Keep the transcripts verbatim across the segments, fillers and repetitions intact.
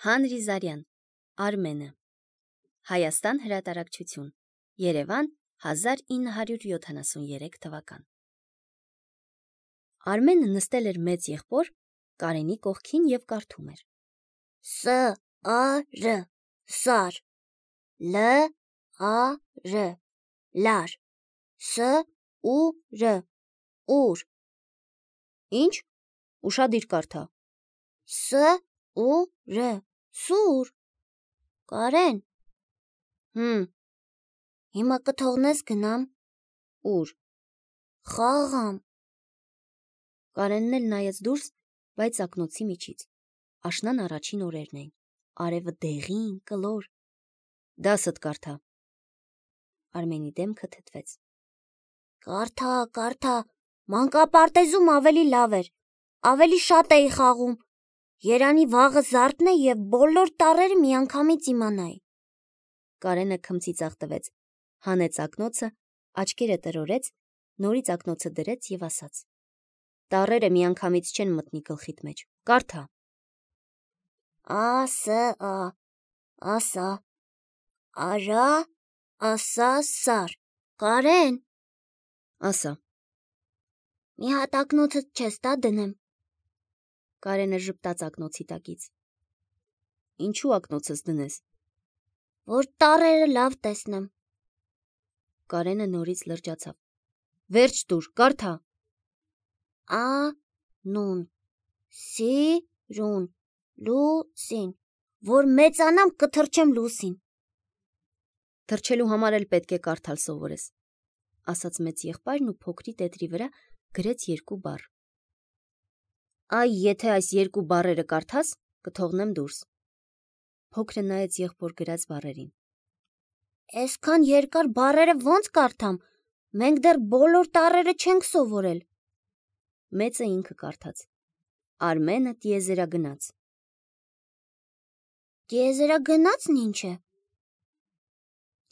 Հանրի Զարյան, Արմենը, Հայաստան հրատարակչություն, Երևան, հազար ինը հարյուր յոթանասուներեք թվական։ Արմենը նստել էր մեծ եղբոր Կարենի կողքին և կարդում էր. Ս ա ռ սար, Լ ա ռ լար, Ս ու ռ ուր։ Ինչ? Ուշադիր կարդա։ Ս ու ռ սուր։ Կարեն։ Հմ։ Հիմա կթողնես գնամ։ Ուր։ Խաղամ։ Կարենն էլ նայեց դուրս, բայց ակնոցի միջից։ Աշնան առաջին օրերն էին։ Արևը դեղին, կլոր։ Դասդ կարդա։ Արմենի դեմքը թեթվեց։ Կարդա, կարդա, մանկապարտեզում ավելի լավ էր։ Ավելի շատ էի խաղում։ Երանի վաղը զարդն է և բոլոր տառերը միանգամից իմանայի։ Կարենը քմծիծաղ տվեց, հանեց ակնոցը, աչքերը տրորեց, նորից ակնոցը դրեց և ասաց. Տառերը միանգամից չեն մտնի գլխիդ մեջ, կարդա։ Ա ս ա, ասա, արա, ասա, սար։ Կարեն։ Ասա։ Մի հատ ակնոցդ չես տա դնեմ։ Կարենը ժպտաց ակնոցի տակից։ Ինչու ակնոցս դնես։ Որ տառերը լավ տեսնեմ։ Կարենը նորից լրջացավ։ Վերջ տուր, կարդա։ Ա նուն, սի ռուն, լուսին, որ մեծանամ կթռչեմ լուսին։ Թռչելու համար էլ պետք է կարդալ սովորես, ասաց մեծ եղբայրն ու փոքրի տետրի վրա գրեց երկու բառ։ Այ եթե այս երկու բառերը կարդաս, կթողնեմ դուրս։ Փոքրը նայեց եղբոր գրած բառերին։ Այսքան երկար բառերը ոնց կարդամ, մենք դեռ բոլոր տառերը չենք սովորել։ Մեծը ինքը կարդաց։ Արմենը տիեզերագնաց։ Տիեզերագնացն ինչ է։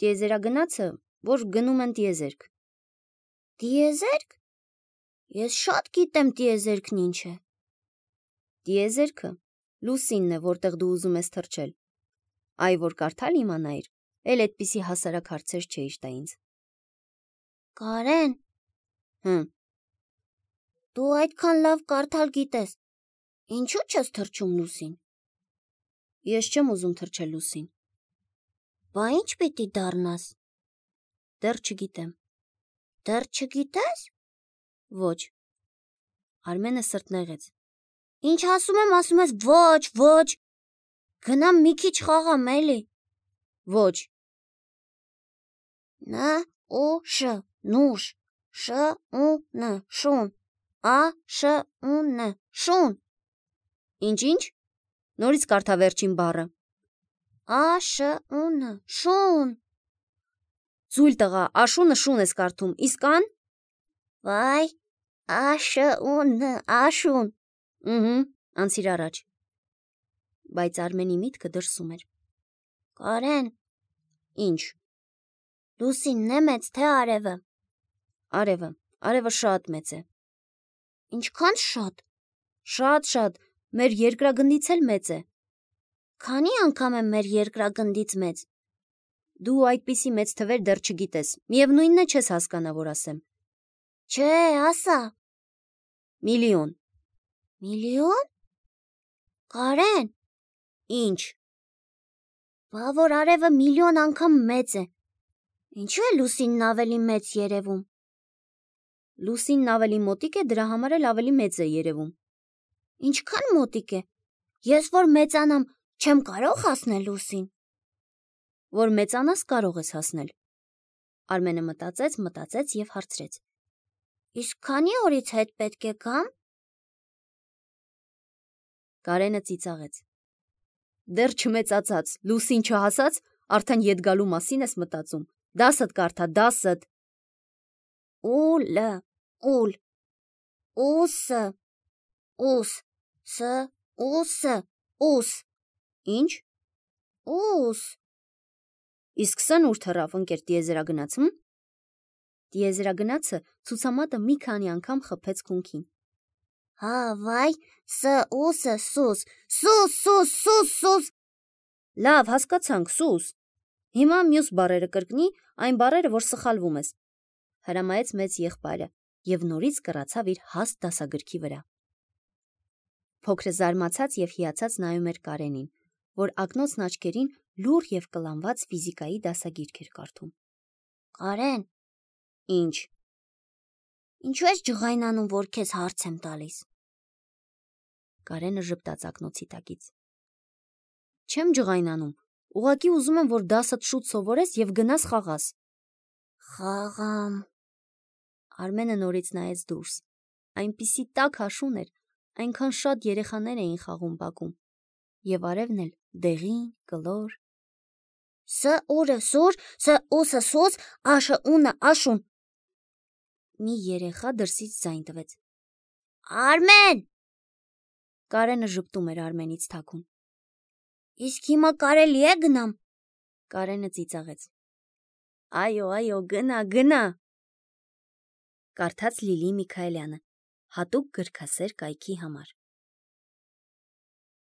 Տիեզերագնացը, որ գնում են տիեզերք։ Տիեզերք։ Ես շատ գիտեմ տիեզերքն ինչ է։ Տիեզերքը լուսինն է, որտեղ դու ուզում ես թռչել։ Այ որ կարդալ իմանայիր, էլ այդպիսի հասարակ հարցեր չէիր տա ինձ։ Կարեն։ Հմ։ Դու այդքան լավ կարդալ գիտես։ Ինչու չես թռչում լուսին։ Ես չեմ ուզում թռչել լուսին։ Բա ինչ պիտի դառնաս։ Դեռ չգիտեմ։ Դեռ չգիտես։ Ոչ։ Արմենը սրտնեղեց։ Ինչ ասում եմ, ասում ես ոչ, ոչ։ Գնամ մի քիչ խաղամ էլի։ Ոչ։ Ն ու շ, նուշ, շ ու ն, շուն, ա շ ու ն, շուն։ Ինչ-ինչ։ Նորից կարդա վերջին բառը։ Ա շ ու ն, շուն։ Ձույլ տղա, աշունը շուն ես կարդում, իսկ ան։ Վայ, ա շ ու ն, աշուն։ Ըհը, անցիր առաջ։ Բայց Արմենի միտքը դրսում էր։ Կարեն։ Ինչ։ Լուսինն է մեծ, թե արևը։ Արևը, արևը շատ մեծ է։ Ինչքան շատ։ Շատ, շատ, մեր երկրագնդից էլ մեծ է։ Քանի անգամ է մեր երկրագնդից մեծ։ Դու այդպիսի մեծ թվեր դեռ չգիտես, միևնույնն է չես հասկանա, որ ասեմ։ Չէ, ասա։ Միլիոն։ Միլիոն։ Կարեն։ Ինչ։ Բա որ արևը միլիոն անգամ մեծ է։ Ինչու է լուսինն ավելի մեծ երևում։ Լուսինն ավելի մոտիկ է, դրա համար էլ ավելի մեծ է երևում։ Ինչքան մոտիկ է։ Ես որ մեծանամ, չեմ կարող հասնել լուսին։ Որ մեծանաս կարող ես հասնել։ Արմենը մտածեց, մտածեց և հարցրեց. Իսկ քանի օրից հետ պետք է գամ։ Կարենը ծիծաղեց։ Դեռ չմեծացած, լուսին չհասած, արդեն ետ գալու մասին ես մտածում։ Դասդ կարդա, դասդ։ Ուլ, ուլ, ուս, ուս, ս, ուս, ուս։ Ինչ։ Ուս։ Իսկ սն ուր թռավ ընկեր տիեզերագնացում։ Տիեզերագնացը ցուցամատը մի քանի անգամ խփեց քունքին։ Հա, վայ, ս, ուսը, սուս, սուս, սուս, սուս, սուս, Լավ, հասկացանք, Սուս։ Հիմա մյուս բառերը կրկնի, այն բառերը, որ սխալվում ես։ Հրամայեց մեծ եղբայրը եւ նորից կռացավ իր հաստ դասագրքի վրա։ Փոքրը զարմացած եւ հիացած նայում էր Կարենին, որ ակնոցն աչքերին լուռ եւ կլանված ֆիզիկայի դասագիրք էր կարդում։ Կարեն, Ինչ։ ինչու ես ջղայնանում, որ քեզ հարց եմ տալիս։ Կարենը ժպտաց ակնոցի տակից։ Չեմ ջղայնանում, ուղղակի ուզում եմ, որ դասդ շուտ սովորես եւ գնաս խաղաս։ Խաղամ։ Արմենը նորից նայեց դուրս։ Այնպիսի տաք հաշուն էր, այնքան շատ երեխաներ էին խաղում բակում։ Եվ արևն էլ դեղին, կլոր։ Ս ուրը սուր, ս ուսը սուս, աշը ունը աշուն։ Մի երեխա դրսից ձայն տվեց։ Արմեն, Կարենը ժպտում էր Արմենից թաքուն։ իսկ հիմա կարելի է գնամ։ Կարենը ծիծաղեց։ Այո, այո, գնա, գնա։ Կարդաց Լիլի Միքայելյանը, հատուկ գրքասեր կայքի համար։